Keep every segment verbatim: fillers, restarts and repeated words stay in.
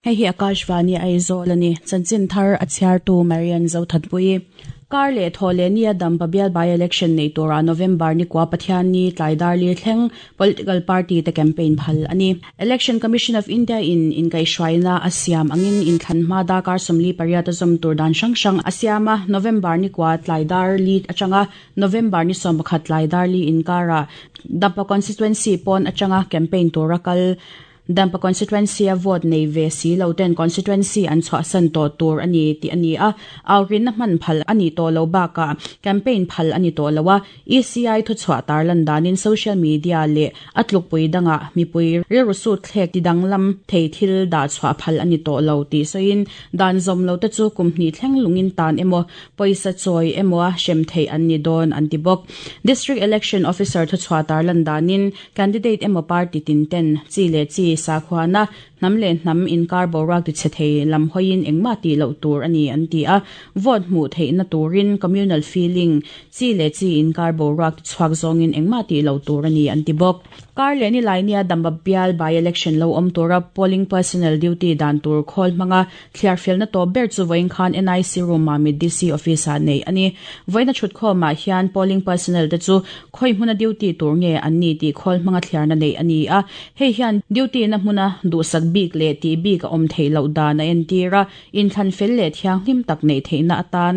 Hei hi Akashvani Aizawl ani chanchin thar a chhiartu Marian Zothatpui kar le thole ni Dampa bial by election nei tura November ni kwa Pathian ni tlaidar li thleng political party te campaign phal ani Election Commission of India in in kai shwaina asiam angin in thlan ma da kar somli pariat azom tur dan sang sang asiama November ni kwa tlaidar li achanga November ni som pakhat tlaidar li in kara Dampa constituency pon achanga campaign tura kal Dampa constituency a vote nei ve si lo ten constituency an chwa san to tur ani ti ani a aurin na man phal ani to lo ba ka campaign phal ani to lawa E C I thu chwa tarlan danin social media le atluk pui danga mi pui ri ru su thlek ti danglam thei thil da chwa phal ani to lo ti soin dan zom lo te chu kumni thleng lungin tan emo poisa choi emo a shem thei an ni don antibok district election officer thu chwa tarlan danin candidate emo party tin ten chi le chi sakhwana namle nam in kar borak ti chethei lam hoin engma ti lo tur ani an ti a vote mu thei na turin communal feeling chi le chi in kar borak ti chhuak zongin engma ti lo tur ani an ti bok kar le ni lainia Dampa bial by election lo om tura polling personnel duty dan tur khol manga thliar fel na to ber chu voin khan N I C room ma mi D C office a nei ani voina thut kho ma hian polling personnel te chu khoi hmuna duty tur nge an ni ti khol manga thliar na nei ani a hei hian duty na hmuna du sak bik le ti bik om thei lo da na en tira in thlan fel le thiang hlim tak nei theina atan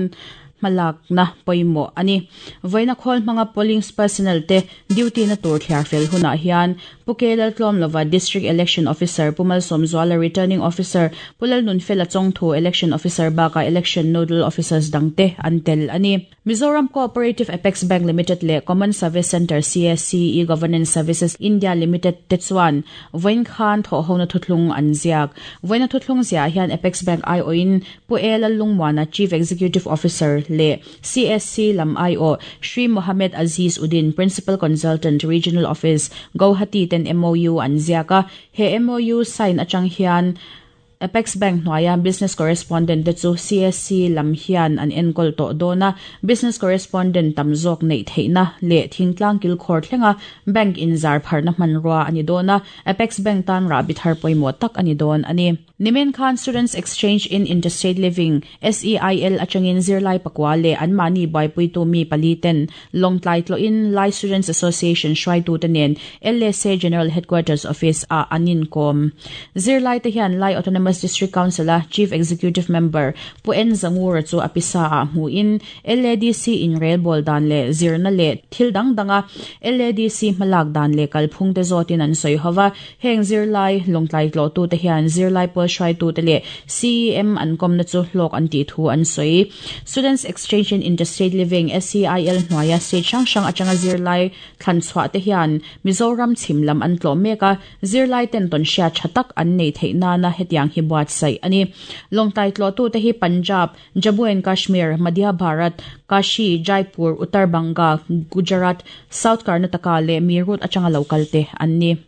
malak na poimo ani voina khol manga polling personnel te duty na tur thliar fel huna hian Pukelal Tlom Lova District Election Officer Pumal Somzuala Returning Officer Pulal Nunfela Chongthu Election Officer baka Election Nodal Officers dangte antel ani Mizoram Cooperative Apex Bank Limited le Common Service Center C S C E-Governance Services India Limited te chuan voin khan tho hona thutlung anziak voina thutlung zia hian Apex Bank I O in Puela Lungwana Chief Executive Officer le C S C lam I O Shri Mohammed Aziz Uddin Principal Consultant Regional Office Guwahati ten M O U an ziaka he M O U sign achang hian Apex Bank noya business correspondent te chu C S C lam hian an enkol to dona business correspondent tamzok nei theina le thingtlang kil khor thlenga bank in zar pharna manrua ani dona Apex Bank tan ra bithar poimo tak ani don ani Nimen Khan Students Exchange in Interstate Living S E I L achangin zirlai pakwa le an mani bai puitu mi paliten Longtlai tlo in Lai Students Association shwai tu tenen L S A General Headquarters Office a anin kom zirlai te hian Lai Autonomous District Council a Chief Executive Member Pu N Zangura chu apisa a mu in L A D C in rail bol dan le zirna le thil dang danga L A D C malak dan le kalphung te zotin an soi howa heng zirlai Longtlai tlo tu te hian zirlai pol shwai tu te le C E M an kom na chu hlok an ti thu an soi Students Exchange in Interstate Living S E I L hnuaia state sang sang achanga zirlai thlan chhuah te hian Mizoram chhimlam an tlo meka zirlai ten ton hria thatak an nei theina na hetiang hi buat sai ani Longtlai tlo tu te hi Punjab, Jammu and Kashmir, Madhya Bharat, Kashi, Jaipur, Uttar Banga, Gujarat, South Karnataka le Meerut achanga local te an ni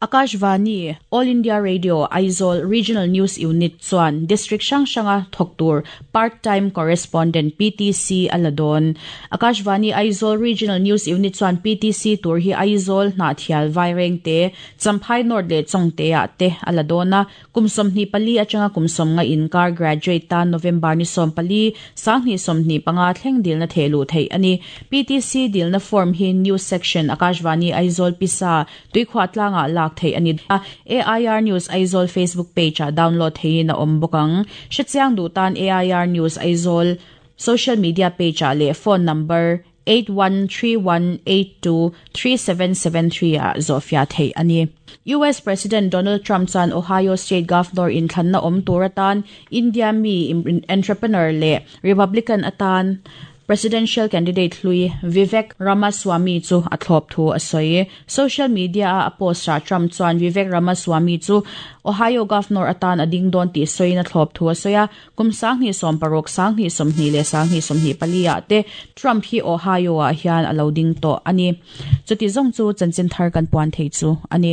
Akashvani All India Radio Aizawl Regional News Unit chuan District sang sanga thoktur part-time correspondent P T C aladon Akashvani Aizawl Regional News Unit chuan P T C tur hi Aizawl na thial vaireng te Champhai North le Chongte a te aladona kumsom ni pali achanga kumsom nga inkar graduate ta November ni som pali sangni somni panga thleng dil na thelu thei ani P T C dil na form hi news section Akashvani Aizawl pisa tuikhwa tlanga la thei ani A I R News Aizawl Facebook page a download thei na om bokang hrichiang du tan A I R News Aizawl social media page a le phone number eight one three one eight two three seven seven three a zofia thei ani U S President Donald Trump chan Ohio State Governor in thlanna om turatan India mi entrepreneur le Republican atan Presidential candidate hlui Vivek Ramaswamy chu a thlop thu a soi social media a post ra Trump chuan Vivek Ramaswamy chu Ohio Governor atan ading don ti soina thlop thu a soya kumsang ni som parok sang ni som ni le sang ni som ni palia te Trump hi Ohio a hian alo ding to ani chuti zong chu chanchin thar kan puan thei chu ani.